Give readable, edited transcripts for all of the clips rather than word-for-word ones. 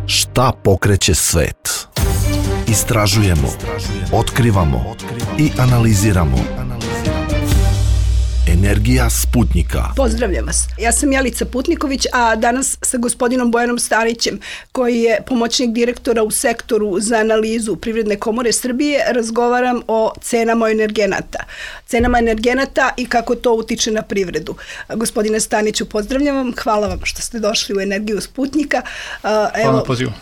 Šta pokreće svet? Istražujemo, otkrivamo i analiziramo. Energija Sputnika. Pozdravljam vas. Ja sam Jelica Putniković, a danas sa gospodinom Bojanom Stanićem, koji je pomoćnik direktora u sektoru za analizu Privredne komore Srbije, razgovaram o cenama energenata. Cenama energenata i kako to utiče na privredu. Gospodine Staniću, pozdravljam vam. Hvala vam što ste došli u Energiju Sputnika. Hvala na pozivu.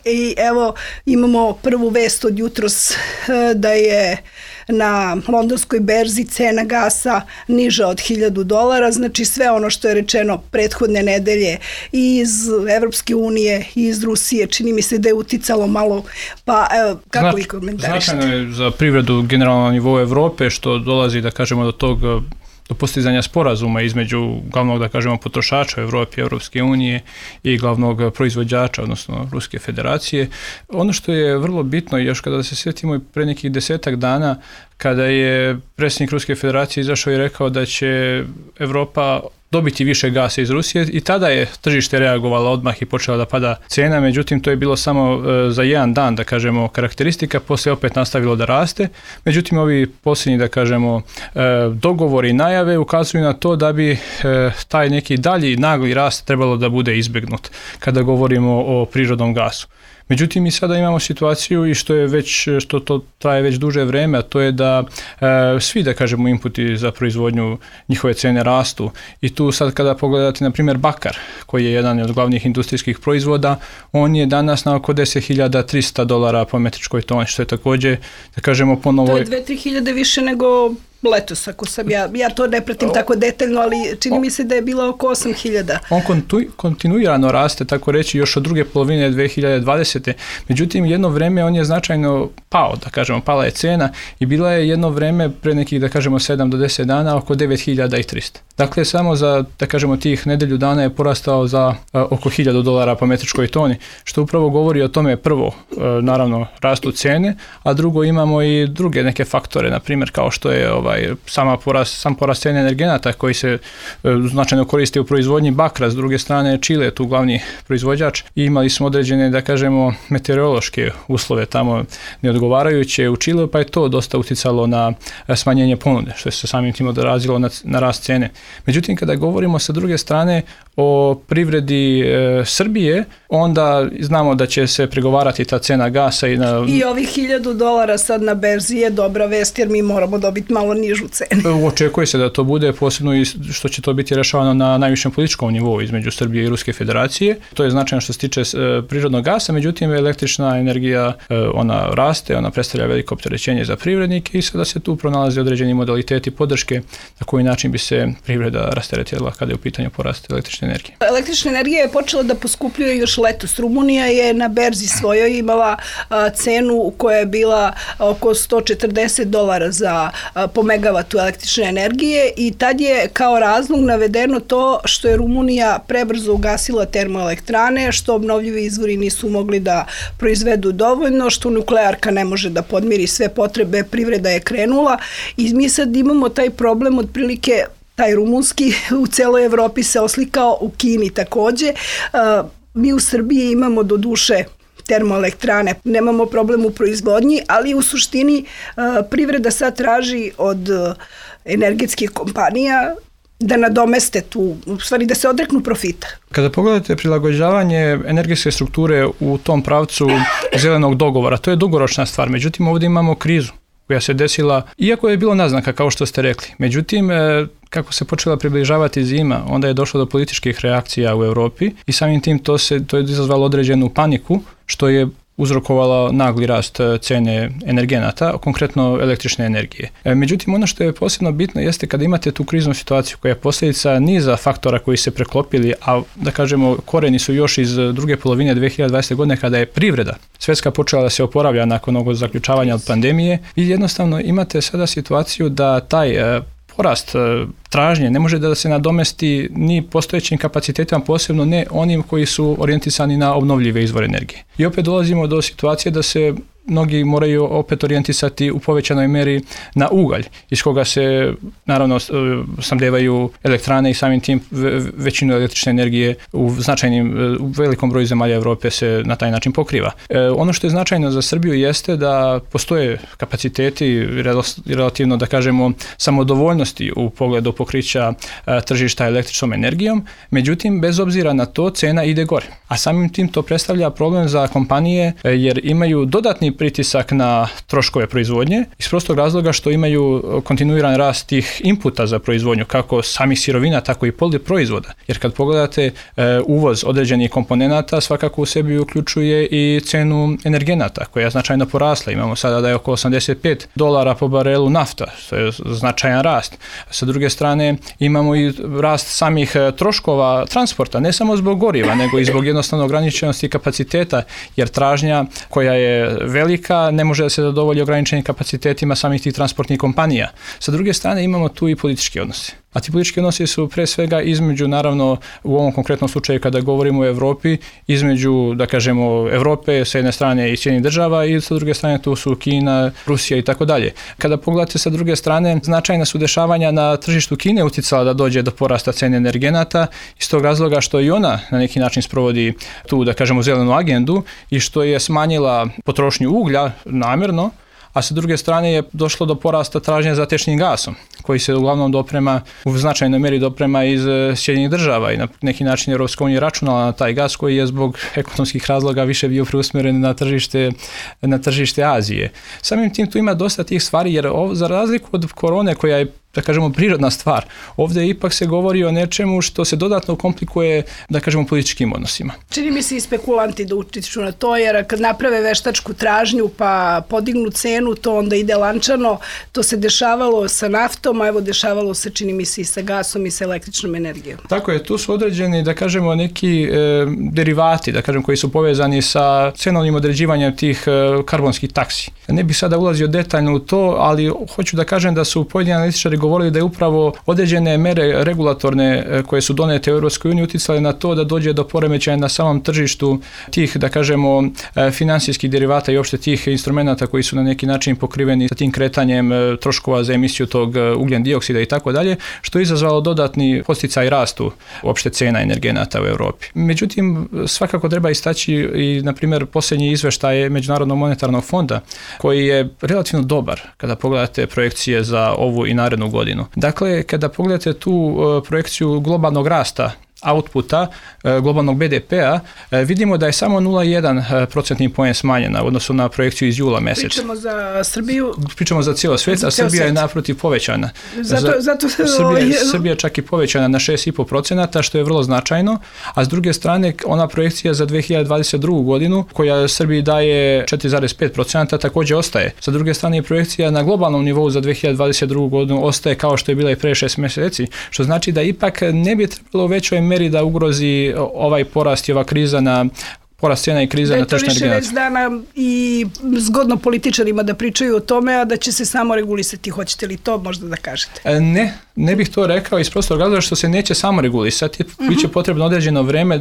I evo, imamo prvu vest od jutros da je na londonskoj berzi cena gasa niža od $1.000, znači sve ono što je rečeno prethodne nedelje i iz Evropske unije i iz Rusije, čini mi se da je uticalo malo, pa evo, kako vi komentarišete? Značajno je za privredu generalno na nivou Evrope što dolazi, da kažemo, do postizanja sporazuma između glavnog, da kažemo, potrošača u Evropi, Evropske unije i glavnog proizvođača, odnosno Ruske federacije. Ono što je vrlo bitno, još kada se sjetimo pre nekih 10 dana, kada je predsjednik Ruske federacije izašao i rekao da će Evropa dobiti više gasa iz Rusije i tada je tržište reagovalo odmah i počela da pada cena, međutim to je bilo samo za jedan dan, da kažemo, karakteristika, poslije opet nastavilo da raste, međutim ovi posljednji, da kažemo, dogovori i najave ukazuju na to da bi taj neki dalji nagli rast trebalo da bude izbegnut kada govorimo o prirodnom gasu. Međutim, mi sada imamo situaciju i što to traje već duže vreme, a to je da svi, da kažemo, inputi za proizvodnju, njihove cene rastu. I tu sad kada pogledate, na primjer, bakar, koji je jedan od glavnih industrijskih proizvoda, on je danas na oko $10.300 po metričkoj toni, što je također, da kažemo, ponovo... To je 2-3 hiljade više nego letos, ako sam ja to ne pratim tako detaljno, ali čini mi se da je bilo oko 8.000. On kontinuirano raste, tako reći, još od druge polovine 2020. Međutim, jedno vreme on je značajno pao, da kažemo, pala je cena i bila je jedno vreme pre nekih, da kažemo, 7 do 10 dana oko 9.300. Dakle, samo za, da kažemo, tih nedelju dana je porastao za oko $1.000 po metričkoj toni, što upravo govori o tome, prvo, naravno, rastu cene, a drugo, imamo i druge neke faktore, na primjer, kao što je sam porast cene energenata koji se značajno koriste u proizvodnji bakra, s druge strane Čile je tu glavni proizvođač i imali smo određene, da kažemo, meteorološke uslove tamo neodgovarajuće u Čileu, pa je to dosta uticalo na smanjenje ponude, što se samim tim odrazilo na rast cene. Međutim, kada govorimo sa druge strane o privredi Srbije, onda znamo da će se pregovarati ta cena gasa i ovih $1.000 sad na berzi je dobra vest, jer mi moramo dobiti malo nižu cenu. Očekuje se da to bude, posebno i što će to biti rešavano na najvišem političkom nivou između Srbije i Ruske federacije. To je značajno što se tiče prirodnog gasa, međutim električna energija, ona raste, ona predstavlja veliko opterećenje za privrednike i sada se tu pronalaze određeni modaliteti podrške na koji način bi se privreda rasteretila kada je u pitanju porast električne energije. Električna energija je počela da poskupljuje još letos. Rumunija je na berzi svojoj imala cenu koja je bila oko $140 po megavatu električne energije i tad je kao razlog navedeno to što je Rumunija prebrzo ugasila termoelektrane, što obnovljivi izvori nisu mogli da proizvedu dovoljno, što nuklearka ne može da podmiri sve potrebe, privreda je krenula i mi sad imamo taj problem otprilike. Taj rumunski u celoj Evropi se oslikao, u Kini takođe. Mi u Srbiji imamo do duše termoelektrane, nemamo problem u proizvodnji, ali u suštini privreda sad traži od energetskih kompanija da nadomeste tu, u stvari da se odreknu profita. Kada pogledate prilagođavanje energetske strukture u tom pravcu zelenog dogovora, to je dugoročna stvar, međutim ovdje imamo krizu koja se desila, iako je bilo naznaka, kao što ste rekli. Međutim, kako se počela približavati zima, onda je došlo do političkih reakcija u Europi i samim tim to je izazvalo određenu paniku, što je uzrokovalo nagli rast cene energenata, konkretno električne energije. Međutim, ono što je posebno bitno jeste kada imate tu kriznu situaciju koja je posljedica niza faktora koji se preklopili, a da kažemo koreni su još iz druge polovine 2020. godine kada je privreda svjetska počela da se oporavlja nakon ovog zaključavanja od pandemije i jednostavno imate sada situaciju da taj porast tražnje ne može da se nadomesti ni postojećim kapacitetima, posebno ne onim koji su orijentisani na obnovljive izvore energije. I opet dolazimo do situacije da se mnogi moraju opet orijentisati u povećanoj meri na ugalj, iz koga se naravno snabdevaju elektrane i samim tim većinu električne energije u velikom broju zemalja Europe se na taj način pokriva. Ono što je značajno za Srbiju jeste da postoje kapaciteti relativno, da kažemo, samodovoljnosti u pogledu pokrića tržišta električnom energijom, međutim, bez obzira na to, cena ide gore. A samim tim to predstavlja problem za kompanije jer imaju dodatni pritisak na troškove proizvodnje iz prostog razloga što imaju kontinuiran rast tih inputa za proizvodnju, kako samih sirovina, tako i proizvoda. Jer kad pogledate uvoz određenih komponenata, svakako u sebi uključuje i cenu energenata koja je značajno porasla. Imamo sada da je oko $85 po barelu nafta, što je značajan rast. Sa druge strane imamo i rast samih troškova transporta, ne samo zbog goriva, nego i zbog jednostavno ograničenosti kapaciteta, jer tražnja koja je velika ne može da se zadovolji ograničenim kapacitetima samih tih transportnih kompanija. Sa druge strane imamo tu i politički odnose. A ti politički odnosi su pre svega između, naravno, u ovom konkretnom slučaju kada govorimo o Europi, između, da kažemo, Europe sa jedne strane i Sjedinjenih država i sa druge strane tu su Kina, Rusija i tako dalje. Kada pogledate sa druge strane, značajna su dešavanja na tržištu Kine uticala da dođe do porasta cene energenata iz tog razloga što i ona na neki način sprovodi tu, da kažemo, zelenu agendu i što je smanjila potrošnju uglja namjerno, a sa druge strane je došlo do porasta tražnje za tečnim gasom, koji se uglavnom u značajnoj meri doprema iz Sjedinjenih država i na neki način Europska unija računala na taj gas koji je zbog ekonomskih razloga više bio preusmjeren na tržište Azije. Samim tim tu ima dosta tih stvari jer za razliku od korone koja je, da kažemo, prirodna stvar, ovdje ipak se govori o nečemu što se dodatno komplikuje, da kažemo, političkim odnosima. Čini mi se i spekulanti da utiču na to, jer kad naprave veštačku tražnju pa podignu cenu, to onda ide lančano. To se dešavalo sa naftom, a evo dešavalo se, čini mi se, i sa gasom i sa električnom energijom. Tako je, tu su određeni, da kažemo, neki derivati, da kažem, koji su povezani sa cenovnim određivanjem tih karbonskih taksi. Ne bih sada ulazio detaljno u to, ali hoću da kažem da su pojedini analitičari govorili da je upravo određene mere regulatorne koje su donete u Europskoj uniji uticale na to da dođe do poremećaja na samom tržištu tih, da kažemo, financijskih derivata i uopšte tih instrumenata koji su na neki način pokriveni sa tim kretanjem troškova za emisiju tog ugljen dioksida i tako dalje, što je izazvalo dodatni podsticaj rastu uopšte cena energenata u Europi. Međutim, svakako treba istaći i, na primjer, posljednji izveštaj Međunarodnog monetarnog fonda, koji je relativno dobar kada pogledate projekcije za ovu i narednu godinu. Dakle, kada pogledate tu projekciju globalnog rasta outputa globalnog BDP-a, vidimo da je samo 0,1% poen smanjena u odnosu na projekciju iz jula mjeseca. Pričamo za Srbiju? Pričamo za cijelo svijet, a Srbija je naprotiv povećana. Zato Srbija je čak i povećana na 6,5%, što je vrlo značajno, a s druge strane ona projekcija za 2022. godinu, koja Srbiji daje 4,5%, također ostaje. Sa druge strane, projekcija na globalnom nivou za 2022. godinu ostaje kao što je bila i pre 6 mjeseci, što znači da ipak ne bi trebalo u većoj meri da ugrozi ovaj porast i ova kriza na porast cijena i kriza na tržištu energenata. Da je to više već dana i zgodno političarima da pričaju o tome, a da će se samo regulisati. Hoćete li to možda da kažete? Ne bih to rekao iz prostog razloga što se neće samo regulisati. Biće potrebno određeno vreme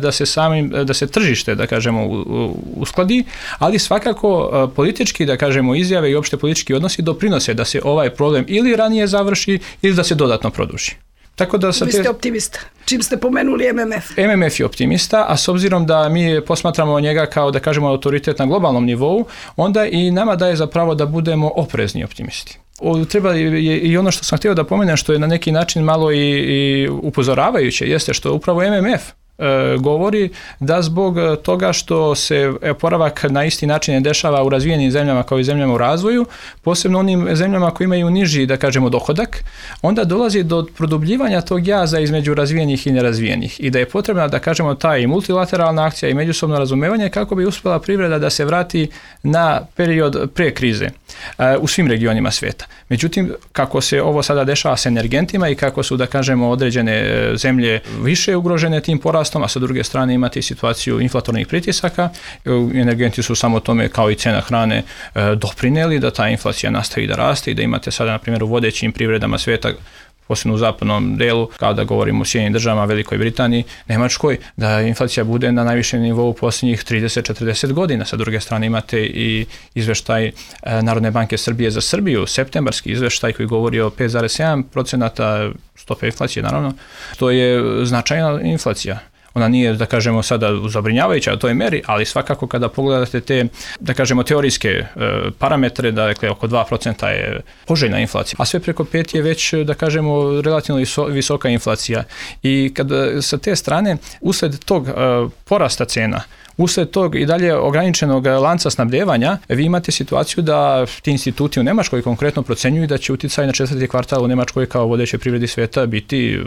da se tržište, da kažemo, uskladi, ali svakako politički, da kažemo, izjave i opšte politički odnosi doprinose da se ovaj problem ili ranije završi ili da se dodatno produži. Tako da Vi ste optimista, čim ste pomenuli MMF. MMF je optimista, a s obzirom da mi posmatramo njega kao, da kažemo, autoritet na globalnom nivou, onda i nama daje za pravo da budemo oprezni optimisti. Treba i ono što sam htio da pomenem, što je na neki način malo i upozoravajuće, jeste što upravo MMF govori da zbog toga što se oporavak na isti način ne dešava u razvijenim zemljama kao i zemljama u razvoju, posebno onim zemljama koji imaju niži, da kažemo, dohodak, onda dolazi do produbljivanja tog jaza između razvijenih i nerazvijenih i da je potrebna, da kažemo, ta i multilateralna akcija i međusobno razumevanje kako bi uspjela privreda da se vrati na period pre krize u svim regionima svijeta. Međutim, kako se ovo sada dešava s energentima i kako su, da kažemo, određene zemlje više ugrožene tim porastom, a sa druge strane imate situaciju inflatornih pritisaka, energenti su samo tome, kao i cena hrane, doprinijeli da ta inflacija nastavi da raste i da imate sada, na primjer, u vodećim privredama svijeta posebno u zapadnom delu, kao da govorimo o Sjedinjenim državama, Velikoj Britaniji, Nemačkoj, da inflacija bude na najvišem nivou posljednjih 30-40 godina. Sa druge strane imate i izveštaj Narodne banke Srbije za Srbiju, septembarski izveštaj koji govori o 5,7% stope inflacije, naravno. To je značajna inflacija. Ona nije, da kažemo, sada zabrinjavajuća u toj meri, ali svakako kada pogledate te, da kažemo, teorijske parametre, dakle oko 2% je poželjna inflacija, a sve preko 5 je već, da kažemo, relativno visoka inflacija. I kada sa te strane, usled tog porasta cena, usled tog i dalje ograničenog lanca snabdevanja, vi imate situaciju da ti instituti u Nemačkoj konkretno procenjuju da će uticaj na 4. kvartal u Nemačkoj kao vodećoj privredi svijeta biti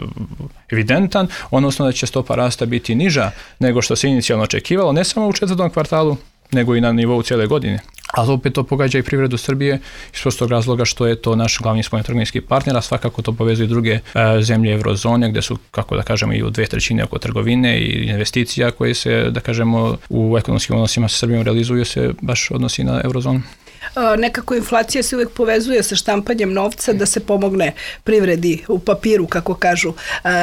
evidentan, odnosno da će stopa rasta biti niža nego što se inicijalno očekivalo, ne samo u 4. kvartalu, nego i na nivou cijele godine. Ali opet to pogađa i privredu Srbije iz prostog razloga što je to naš glavni spoljnotrgovinski partner, a svakako to povezuje druge zemlje eurozone gdje su, kako da kažemo, i u 2/3 oko trgovine i investicija koje se, da kažemo, u ekonomskim odnosima sa Srbijom realizuju se baš odnosi na eurozonu. Nekako inflacija se uvijek povezuje sa štampanjem novca da se pomogne privredi u papiru, kako kažu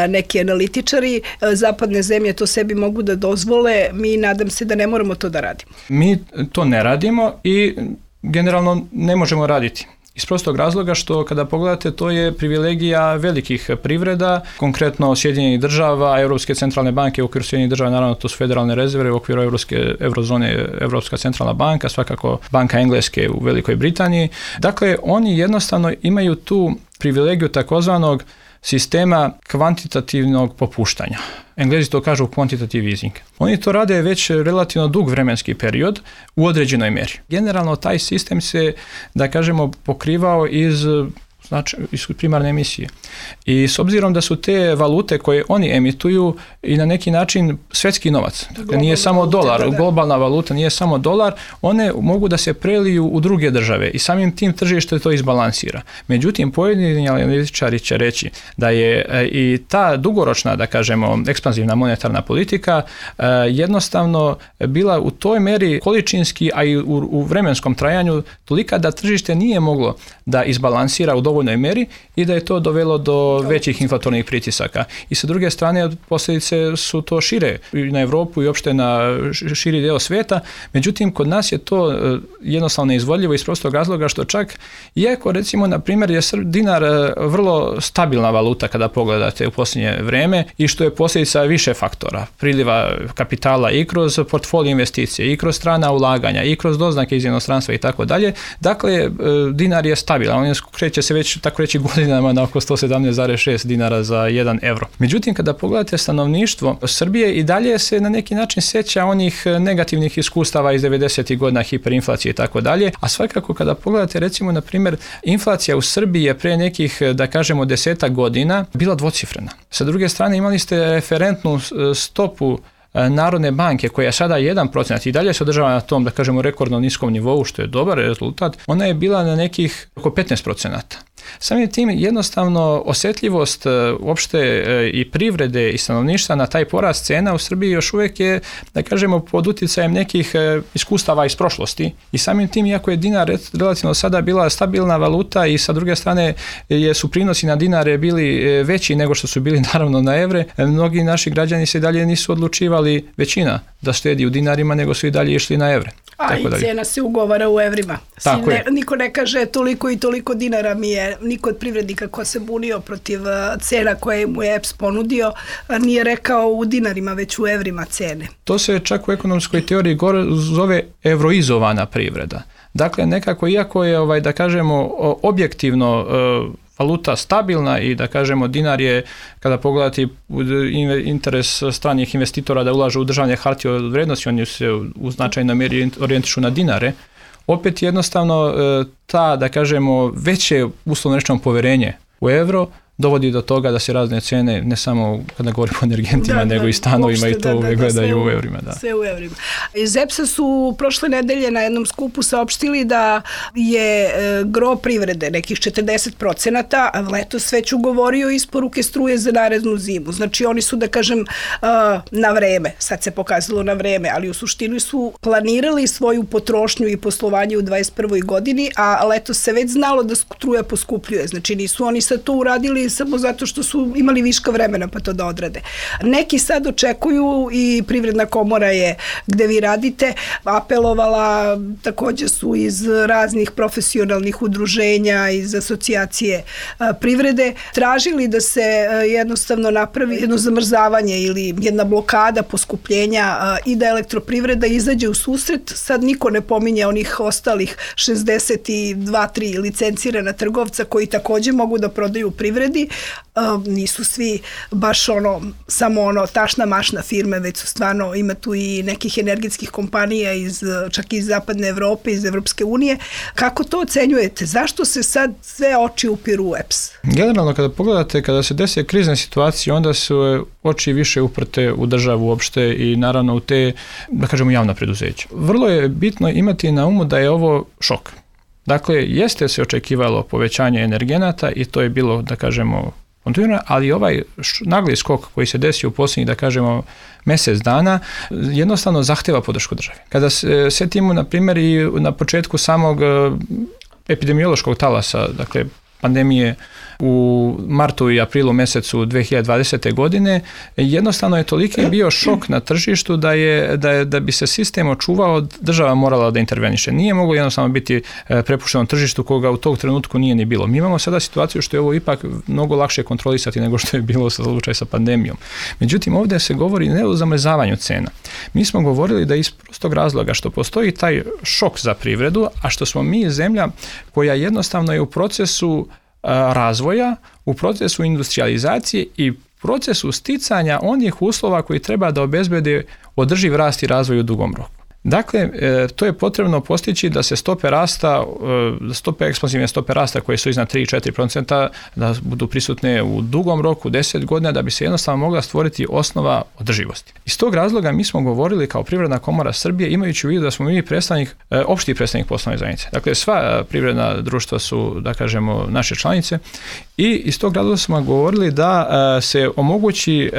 neki analitičari. Zapadne zemlje to sebi mogu da dozvole, mi nadam se da ne moramo to da radimo. Mi to ne radimo i generalno ne možemo raditi. Iz prostog razloga što kada pogledate to je privilegija velikih privreda, konkretno Sjedinjenih država, Europske centralne banke, u okviru Sjedinjenih država naravno to su federalne rezerve, u okviru eurozone Europska centralna banka, svakako Banka Engleske u Velikoj Britaniji. Dakle, oni jednostavno imaju tu privilegiju takozvanog sistema kvantitativnog popuštanja. Englezi to kažu quantitative easing. Oni to rade već relativno dug vremenski period u određenoj mjeri. Generalno taj sistem se, da kažemo, pokrivao iz primarne emisije. I s obzirom da su te valute koje oni emituju i na neki način svjetski novac, dakle nije samo dolar, globalna valuta nije samo dolar, one mogu da se preliju u druge države i samim tim tržište to izbalansira. Međutim, pojedini analitičari će reći da je i ta dugoročna, da kažemo, ekspanzivna monetarna politika jednostavno bila u toj meri količinski, a i u vremenskom trajanju tolika da tržište nije moglo da izbalansira u dovoljnoj meri i da je to dovelo do većih inflatornih pritisaka. I sa druge strane, posljedice su to šire na Europu i uopšte na širi dio svijeta. Međutim, kod nas je to jednostavno neizvodljivo iz prostog razloga što čak, iako recimo, na primjer, je dinar vrlo stabilna valuta kada pogledate u posljednje vrijeme i što je posljedica više faktora, priliva kapitala i kroz portfolio investicije, i kroz strana ulaganja, i kroz doznake iz inostranstva i tako dalje. Dakle, dinar je stabilan, on kreće se već, tako reći, godinama na oko 117,6 dinara za 1 euro. Međutim, kada pogledate stanovništvo Srbije i dalje se na neki način sjeća onih negativnih iskustava iz 90. godina, hiperinflacije i tako dalje, a svakako kada pogledate, recimo, na primjer, inflacija u Srbiji je pre nekih, da kažemo, 10 godina bila dvocifrena. Sa druge strane, imali ste referentnu stopu Narodne banke koja je sada 1% i dalje se održava na tom, da kažemo, rekordno niskom nivou, što je dobar rezultat, ona je bila na nekih oko 15%. Samim tim jednostavno osjetljivost uopšte i privrede i stanovništva na taj porast cena u Srbiji još uvijek je, da kažemo, pod utjecajem nekih iskustava iz prošlosti i samim tim, iako je dinar relativno sada bila stabilna valuta i sa druge strane su prinosi na dinare bili veći nego što su bili naravno na evre, mnogi naši građani se dalje nisu odlučivali, većina, da štedi u dinarima, nego su i dalje išli na evre. A i cijena se ugovara u evrima. Niko ne kaže toliko i toliko dinara mi je, niko od privrednika ko se bunio protiv cena koje mu je EPS ponudio, nije rekao u dinarima, već u evrima cene. To se čak u ekonomskoj teoriji zove evroizovana privreda. Dakle, nekako, iako je, da kažemo, objektivno valuta stabilna i, da kažemo, dinar je, kada pogledati interes stranih investitora da ulažu u državne hartije od vrijednosti, oni se u značajnoj mjeri orijentišu na dinare, opet jednostavno ta, da kažemo, veće uslovno rečeno povjerenje u euro dovodi do toga da se razne cene, ne samo kada govorimo o energentima, nego i stanovima i to uvijek gledaju u evrima. Da. Sve u evrima. Iz EPS-a su prošle nedelje na jednom skupu saopštili da je gro privrede, nekih 40%, a letos već ugovorio isporuke struje za narednu zimu. Znači oni su, da kažem, na vreme, sad se pokazalo na vreme, ali u suštini su planirali svoju potrošnju i poslovanje u 2021. godini, a letos se već znalo da struja poskupljuje. Znači nisu oni sad to uradili ili samo zato što su imali viška vremena pa to da odrade. Neki sad očekuju i Privredna komora je gde vi radite apelovala, takođe su iz raznih profesionalnih udruženja, iz asocijacije privrede, tražili da se jednostavno napravi jedno zamrzavanje ili jedna blokada poskupljenja i da Elektroprivreda izađe u susret. Sad niko ne pominje onih ostalih 62-3 licencirana trgovca koji takođe mogu da prodaju u privredi. Nisu svi baš samo tašna mašna firme, već su stvarno, ima tu i nekih energetskih kompanija čak iz zapadne Evrope, iz Evropske unije. Kako to ocenjujete? Zašto se sad sve oči upiru u EPS? Generalno, kada pogledate, kada se desi krizne situacije, onda su oči više uprte u državu uopšte i naravno u te, da kažemo, javna preduzeća. Vrlo je bitno imati na umu da je ovo šok. Dakle, jeste se očekivalo povećanje energenata i to je bilo, da kažemo, kontinuirano, ali ovaj nagli skok koji se desio u posljednjih, da kažemo, mjesec dana, jednostavno zahteva podršku države. Kada se setimo, na primjer, i na početku samog epidemiološkog talasa, dakle, pandemije u martu i aprilu mjesecu 2020. godine, jednostavno je toliki bio šok na tržištu da bi se sistem očuvao, država morala da interveniše. Nije moglo jednostavno biti prepušteno tržištu koga u tog trenutku nije ni bilo. Mi imamo sada situaciju što je ovo ipak mnogo lakše kontrolisati nego što je bilo slučaj sa pandemijom. Međutim, ovdje se govori ne o zamrzavanju cena. Mi smo govorili da iz prostog razloga što postoji taj šok za privredu, a što smo mi zemlja koja jednostavno je u procesu razvoja, u procesu industrializacije i procesu sticanja onih uslova koji treba da obezbede održiv rast i razvoj u dugom roku. Dakle, to je potrebno postići da se stope ekspanzivne stope rasta koje su iznad 3-4% da budu prisutne u dugom roku, 10 godina, da bi se jednostavno mogla stvoriti osnova održivosti. Iz tog razloga mi smo govorili kao Privredna komora Srbije, imajući u vidu da smo mi opšti predstavnik poslovne zajednice. Dakle, sva privredna društva su, da kažemo, naše članice i iz tog razloga smo govorili da se omogući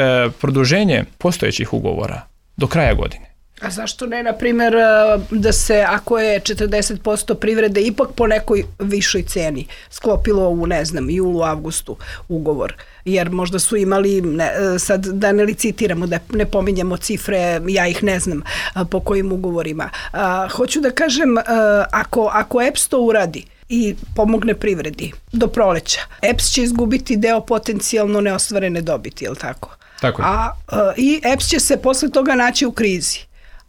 produženje postojećih ugovora do kraja godine. A zašto ne, na primjer, da se, ako je 40% privrede ipak po nekoj višoj ceni sklopilo u, julu, avgustu ugovor, jer možda su imali, sad da ne licitiramo, da ne pominjamo cifre, ja ih ne znam po kojim ugovorima. Hoću da kažem, ako EPS to uradi i pomogne privredi do proleća, EPS će izgubiti deo potencijalno neostvarene dobiti, je li tako? Tako je. I EPS će se posle toga naći u krizi.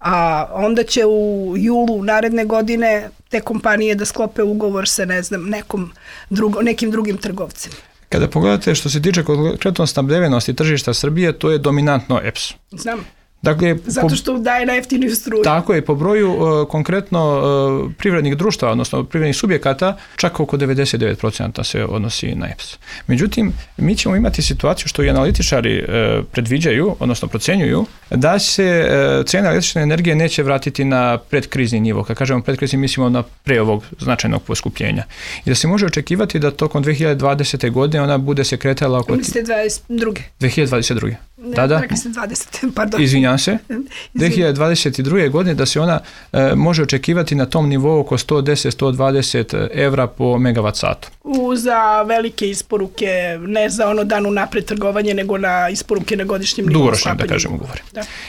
A onda će u julu naredne godine te kompanije da sklope ugovor sa nekim drugim trgovcem. Kada pogledate što se tiče konkretno snabdevenosti tržišta Srbije, to je dominantno EPS. Znam. Dakle, zato što daje najjeftiniju struju. Tako je, po broju konkretno privrednih društava, odnosno privrednih subjekata, čak oko 99% se odnosi na EPS. Međutim, mi ćemo imati situaciju što i analitičari predviđaju, odnosno procenjuju, da se cena električne energije neće vratiti na predkrizni nivo. Kad kažemo predkrizni, mislimo na pre ovog značajnog poskupljenja. I da se može očekivati da tokom 2020. godine ona bude se kretala oko... 2022. Da. Rekli ste 20, pardon. Izvinjam se. 2022. godine da se ona može očekivati na tom nivou oko 110-120 evra po megavat satu. Za velike isporuke, ne za dan unapred trgovanje, nego na isporuke na godišnjem nivou. Dugoročno, da kažemo, govorim.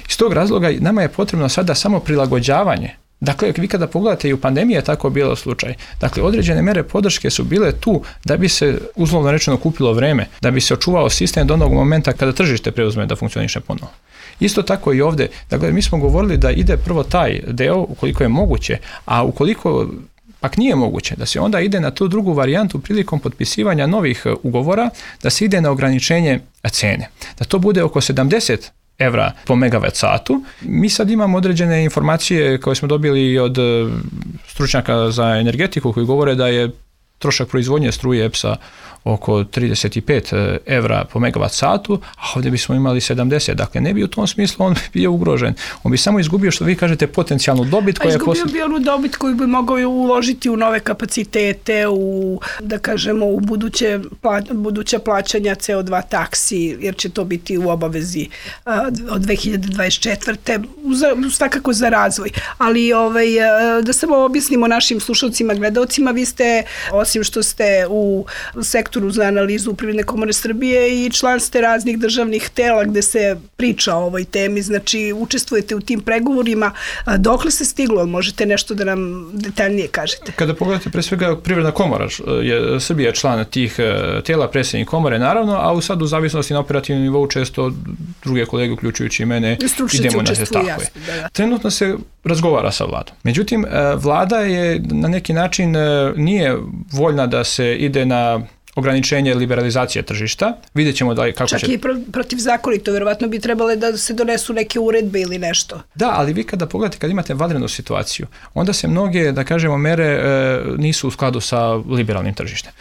Iz tog razloga nama je potrebno sada samo prilagođavanje. Dakle, vi kada pogledate i u pandemiji je tako bilo slučaj. Dakle, određene mere podrške su bile tu da bi se, uslovno rečeno, kupilo vreme, da bi se očuvao sistem do onog momenta kada tržište preuzme da funkcioniše ponovo. Isto tako i ovdje. Dakle, mi smo govorili da ide prvo taj deo ukoliko je moguće, a ukoliko pak nije moguće, da se onda ide na tu drugu varijantu prilikom potpisivanja novih ugovora, da se ide na ograničenje cene. Da to bude oko 70 evra po megavat satu. Mi sad imamo određene informacije koje smo dobili od stručnjaka za energetiku koji govore da je trošak proizvodnje struje EPS-a oko 35 evra po megavat satu, a ovdje bismo imali 70. Dakle, ne bi u tom smislu on bio ugrožen. On bi samo izgubio, što vi kažete, potencijalnu dobit. Izgubio bi onu dobit koju bi mogao uložiti u nove kapacitete, u buduća plaćanja CO2 taksi, jer će to biti u obavezi od 2024. Svakako za razvoj. Ali da samo objasnimo našim slušalcima, gledalcima, vi ste, osim što ste u sektoru sektoru za analizu Privredne komore Srbije i član ste raznih državnih tela gde se priča o ovoj temi, znači učestvujete u tim pregovorima. Dokle se stiglo? Možete nešto da nam detaljnije kažete? Kada pogledate, pre svega Privredna komora Srbija je član tih tela, predsjednik komore naravno, a sad u zavisnosti na operativnom nivou često druge kolege, uključujući i mene, idemo na se tako je. Trenutno se razgovara sa vladom. Međutim, vlada je na neki način nije voljna da se ide na ograničenje liberalizacije tržišta. Vidjet ćemo kako čak će... Čak i protivzakonito, verovatno bi trebale da se donesu neke uredbe ili nešto. Da, ali vi kada pogledate, kad imate vanrednu situaciju, onda se mnoge, da kažemo, mere nisu u skladu sa liberalnim tržištem.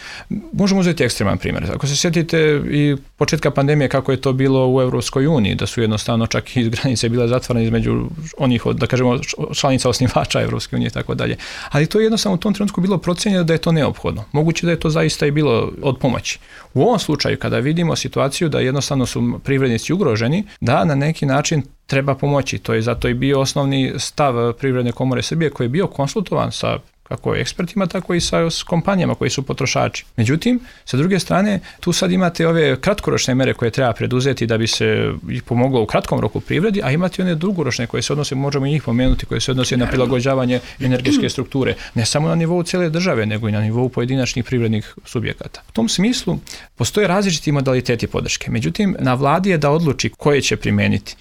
Možemo uzeti ekstreman primjer. Ako se sjetite i početka pandemije kako je to bilo u Europskoj uniji, da su jednostavno čak i granice bile zatvorene između onih, da kažemo, članica osnivača Europske unije i tako dalje. Ali to je jednostavno u tom trenutku bilo procenjeno da je to neophodno. Moguće da je to zaista i bilo od pomoći. U ovom slučaju, kada vidimo situaciju da jednostavno su privrednici ugroženi, da na neki način treba pomoći. To je zato i bio osnovni stav Privredne komore Srbije koji je bio konsultovan sa kako ekspertima, tako i sa kompanijama koji su potrošači. Međutim, sa druge strane, tu sad imate ove kratkoročne mere koje treba preduzeti da bi se ih pomoglo u kratkom roku privredi, a imate one dugoročne koje se odnose, možemo i njih pomenuti, koje se odnose na prilagođavanje energetske strukture, ne samo na nivou cijele države, nego i na nivou pojedinačnih privrednih subjekata. U tom smislu postoje različiti modaliteti podrške. Međutim, na vladi je da odluči koje će primijeniti.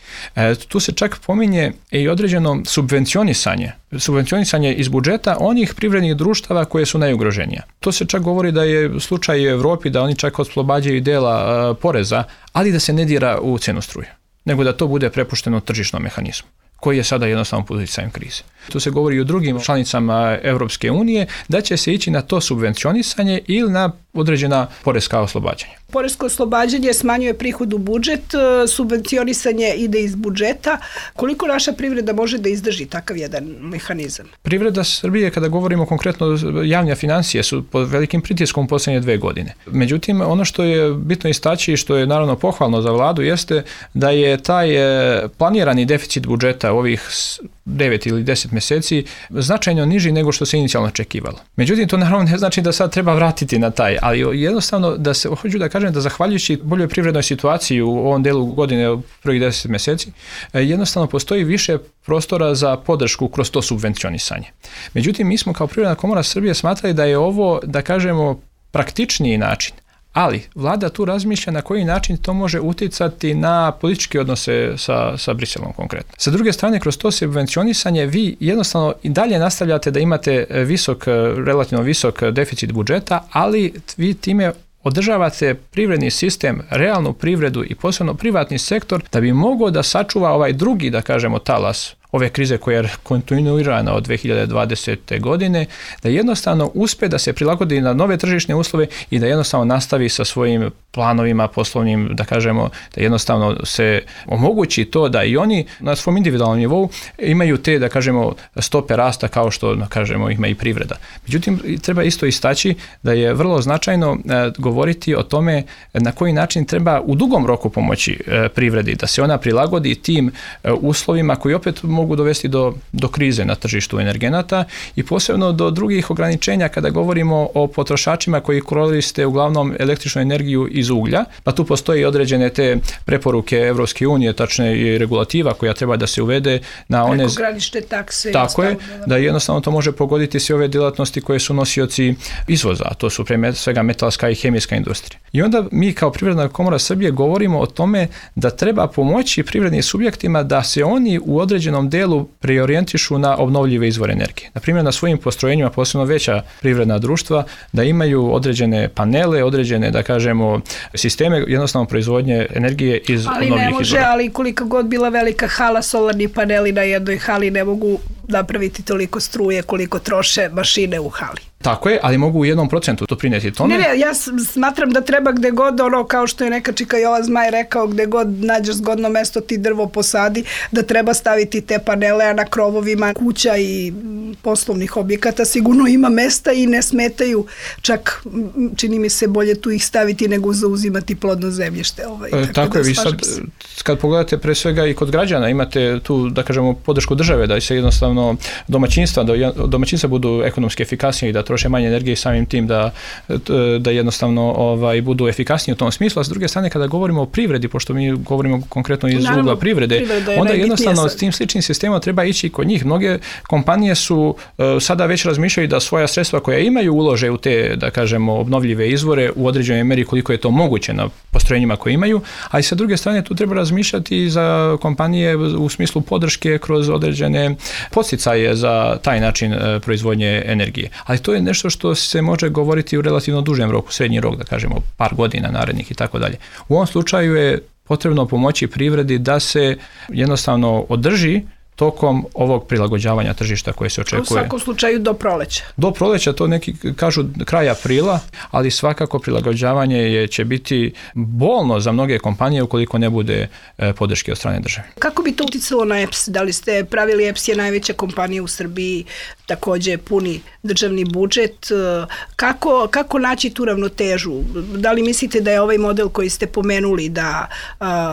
Tu se čak pominje i određeno subvencionisanje iz budžeta onih privrednih društava koje su najugroženija. To se čak govori da je slučaj u Europi da oni čak oslobađaju dela poreza, ali da se ne dira u cenu struje, nego da to bude prepušteno tržišnom mehanizmu, koji je sada jednostavno pod utjecajem krize. Tu se govori i o drugim članicama Europske unije da će se ići na to subvencionisanje ili na određena poreska oslobađanja. Poresko oslobađanje smanjuje prihod u budžet, subvencionisanje ide iz budžeta. Koliko naša privreda može da izdrži takav jedan mehanizam? Privreda Srbije, kada govorimo konkretno javne financije, su pod velikim pritiskom u posljednje 2 godine. Međutim, ono što je bitno istaći i što je naravno pohvalno za vladu jeste da je taj planirani deficit budžeta ovih 9 ili 10 mjeseci značajno niži nego što se inicijalno očekivalo. Međutim, to naravno ne znači da sad treba vratiti na taj, ali jednostavno da se, hoću da kažem da zahvaljujući boljoj privrednoj situaciji u ovom delu godine prvih 10 mjeseci, jednostavno postoji više prostora za podršku kroz to subvencionisanje. Međutim, mi smo kao Privredna komora Srbije smatrali da je ovo, da kažemo, praktičniji način. Ali vlada tu razmišlja na koji način to može utjecati na političke odnose sa Briselom konkretno. Sa druge strane, kroz to subvencionisanje vi jednostavno i dalje nastavljate da imate relativno visok deficit budžeta, ali vi time održavate privredni sistem, realnu privredu i posebno privatni sektor da bi mogao da sačuva ovaj drugi, da kažemo, talas ove krize koja je kontinuirana od 2020. godine, da jednostavno uspe da se prilagodi na nove tržišne uslove i da jednostavno nastavi sa svojim planovima poslovnim, da kažemo, da jednostavno se omogući to da i oni na svom individualnom nivou imaju te, da kažemo, stope rasta kao što, da kažemo, ima i privreda. Međutim, treba isto istaći da je vrlo značajno govoriti o tome na koji način treba u dugom roku pomoći privredi, da se ona prilagodi tim uslovima koji opet mogu dovesti do krize na tržištu energenata i posebno do drugih ograničenja kada govorimo o potrošačima koji koriste uglavnom električnu energiju iz uglja, pa tu postoji određene te preporuke Evropske unije, tačne i regulativa koja treba da se uvede na one... Prekogranične takse. Tako je, da jednostavno to može pogoditi sve ove djelatnosti koje su nosioci izvoza, a to su pre svega metalska i hemijska industrija. I onda mi kao Privredna komora Srbije govorimo o tome da treba pomoći privrednim subjektima da se oni u određenom delu preorijentišu na obnovljive izvore energije. Na primjer, na svojim postrojenjima, posebno veća privredna društva, da imaju određene panele, određene, da kažemo, sisteme jednostavno proizvodnje energije iz obnovljivih izvora. Ali ne može, ali koliko god bila velika hala, solarni paneli na jednoj hali ne mogu napraviti toliko struje koliko troše mašine u hali. Tako je, ali mogu u 1% doprinijeti tome. Ne, ja smatram da treba gde god, kao što je neka čika Jovan Zmaj rekao, gde god nađeš zgodno mesto ti drvo posadi, da treba staviti te panele, a na krovovima kuća i poslovnih objekata sigurno ima mesta i ne smetaju, čak čini mi se bolje tu ih staviti nego zauzimati plodno zemljište. Tako je, vi sad, kad pogledate pre svega i kod građana, imate tu, da kažemo, podršku države da se jednostavno jednostavno domaćinstva budu ekonomski efikasnije i da troše manje energije i samim tim da jednostavno budu efikasniji u tom smislu. A s druge strane, kada govorimo o privredi, pošto mi govorimo konkretno iz ugla privrede, onda jednostavno s tim sličnim sistemom treba ići kod njih. Mnoge kompanije su sada već razmišljaju da svoja sredstva koja imaju ulože u te, da kažemo, obnovljive izvore u određenoj meri koliko je to moguće na postrojenjima koje imaju, a i sa druge strane tu treba razmišljati i za kompanije u smislu podrške kroz određene podsticaje za taj način proizvodnje energije. Ali to je nešto što se može govoriti u relativno dužem roku, srednji rok, da kažemo par godina narednih i tako dalje. U ovom slučaju je potrebno pomoći privredi da se jednostavno održi tokom ovog prilagođavanja tržišta koje se očekuje. U svakom slučaju do proleća. Do proleća, to neki kažu kraj aprila, ali svakako prilagođavanje će biti bolno za mnoge kompanije ukoliko ne bude podrške od strane države. Kako bi to uticalo na EPS? Da li ste pravili, EPS je najveća kompanija u Srbiji, također puni državni budžet. Kako naći tu ravnotežu? Da li mislite da je ovaj model koji ste pomenuli da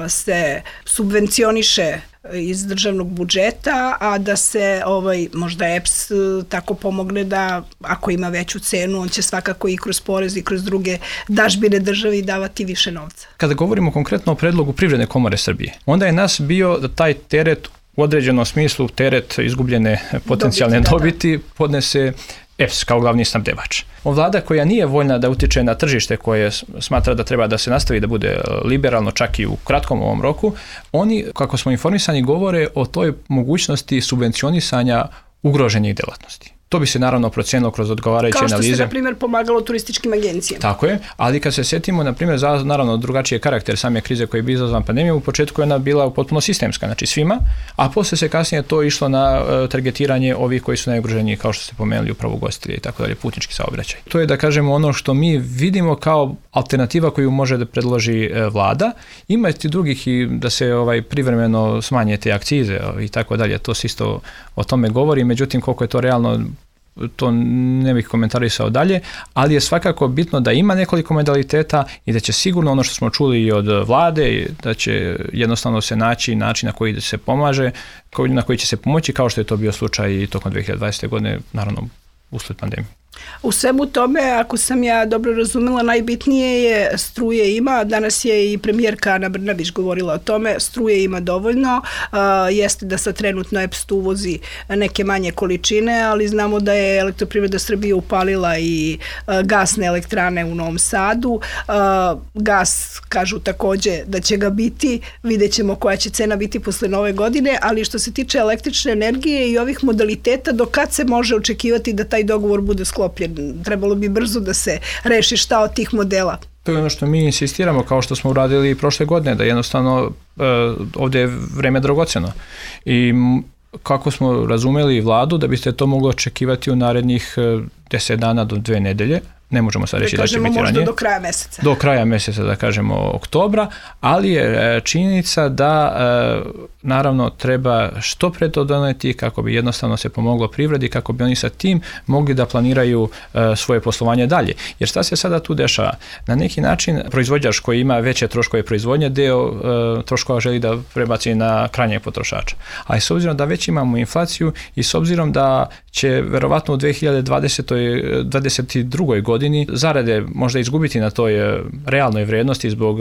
se subvencioniše iz državnog budžeta, a da se možda EPS tako pomogne da ako ima veću cenu, on će svakako i kroz porez i kroz druge dažbine državi davati više novca? Kada govorimo konkretno o predlogu Privredne komore Srbije, onda je nas bio da taj teret u određenom smislu, teret izgubljene potencijalne dobiti podnese EPS kao glavni snabdevač. Vlada koja nije voljna da utiče na tržište koje smatra da treba da se nastavi da bude liberalno čak i u kratkom ovom roku, oni, kako smo informisani, govore o toj mogućnosti subvencionisanja ugroženih djelatnosti. To bi se naravno procijenilo kroz odgovarajuće analize. Kao što se, na primjer, pomagalo turističkim agencijama. Tako je, ali kad se sjetimo, na primjer, naravno drugačiji je karakter same krize koja je bila izazvan pandemijom, u početku je ona bila potpuno sistemska, znači svima, a poslije se kasnije to išlo na targetiranje ovih koji su najugroženiji, kao što ste pomenuli, upravo ugostitelji i tako dalje, putnički saobraćaj. To je, da kažemo, ono što mi vidimo kao alternativa koju može da predloži vlada. Ima i drugih i da se privremeno smanje te akcize i tako dalje, to se isto o tome govori, međutim koliko je to realno, to ne bih komentarisao dalje, ali je svakako bitno da ima nekoliko modaliteta i da će sigurno ono što smo čuli i od vlade, da će jednostavno se naći način na koji se pomaže, na koji će se pomoći, kao što je to bio slučaj i tokom 2020. godine, naravno usled pandemije. U svemu tome, ako sam ja dobro razumela, najbitnije je struje ima. Danas je i premijerka Ana Brnabić govorila o tome, struje ima dovoljno. Jeste da sad trenutno EPS uvozi neke manje količine, ali znamo da je Elektroprivreda Srbije upalila i gasne elektrane u Novom Sadu. Gas, kažu također da će ga biti, vidjet ćemo koja će cena biti posle nove godine, ali što se tiče električne energije i ovih modaliteta, do kad se može očekivati da taj dogovor bude sklopljen? Trebalo bi brzo da se reši šta od tih modela. To je ono što mi insistiramo, kao što smo uradili i prošle godine, da jednostavno ovdje je vreme dragocjeno. I kako smo razumeli vladu, da biste to mogli očekivati u narednih 10 dana do 2 nedelje, ne možemo sad reći da će biti ranije. Možda do kraja mjeseca. Do kraja mjeseca, da kažemo oktobra, ali je činjenica da naravno treba što pre to doneti kako bi jednostavno se pomoglo privredi, kako bi oni sa tim mogli da planiraju svoje poslovanje dalje. Jer šta se sada tu dešava? Na neki način proizvođač koji ima veće troškove proizvodnje, deo troškova želi da prebaci na krajnjeg potrošača. Ali s obzirom da već imamo inflaciju i s obzirom da će verovatno u 2022. godini zarade možda izgubiti na toj realnoj vrijednosti zbog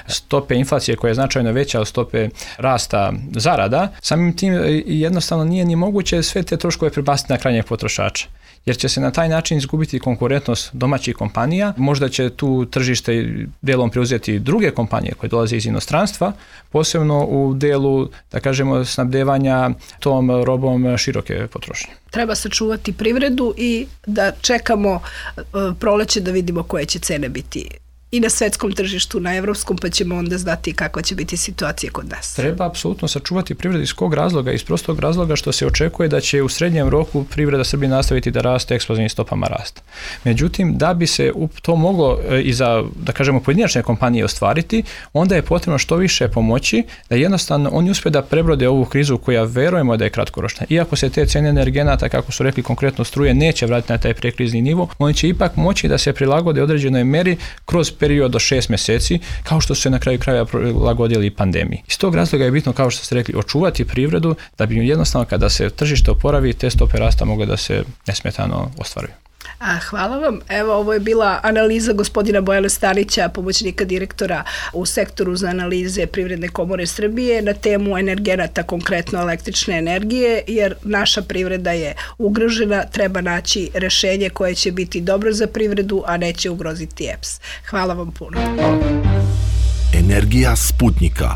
stope inflacije koja je značajno veća od stope rasta zarada, samim tim jednostavno nije ni moguće sve te troškove prebaciti na krajnjeg potrošača. Jer će se na taj način izgubiti konkurentnost domaćih kompanija, možda će tu tržište dijelom preuzeti druge kompanije koje dolaze iz inostranstva, posebno u dijelu, da kažemo, snabdevanja tom robom široke potrošnje. Treba sačuvati privredu i da čekamo proleće da vidimo koje će cene biti i na svetskom tržištu, na evropskom, pa ćemo onda znati kakva će biti situacija kod nas. Treba apsolutno sačuvati privredu iz kog razloga? Iz prostog razloga što se očekuje da će u srednjem roku privreda Srbije nastaviti da raste eksplozivnim stopama rasta. Međutim, da bi se to moglo i za, da kažemo, pojedinačne kompanije ostvariti, onda je potrebno što više pomoći da jednostavno oni uspe da prebrode ovu krizu koja verujemo da je kratkoročna. Iako se te cene energenata, kako su rekli konkretno struje, neće vratiti na taj prekrizni nivo, oni će ipak moći da se prilagode određenoj meri kroz period do 6 mjeseci, kao što su se na kraju krajeva prilagodili pandemiji. Iz tog razloga je bitno, kao što ste rekli, očuvati privredu da bi jednostavno kada se tržište oporavi, te stope rasta mogle da se nesmetano ostvaruju. Hvala vam. Evo, ovo je bila analiza gospodina Bojana Stanića, pomoćnika direktora u sektoru za analize Privredne komore Srbije na temu energenata, konkretno električne energije, jer naša privreda je ugrožena, treba naći rešenje koje će biti dobro za privredu, a neće ugroziti EPS. Hvala vam puno. Energija Sputnika.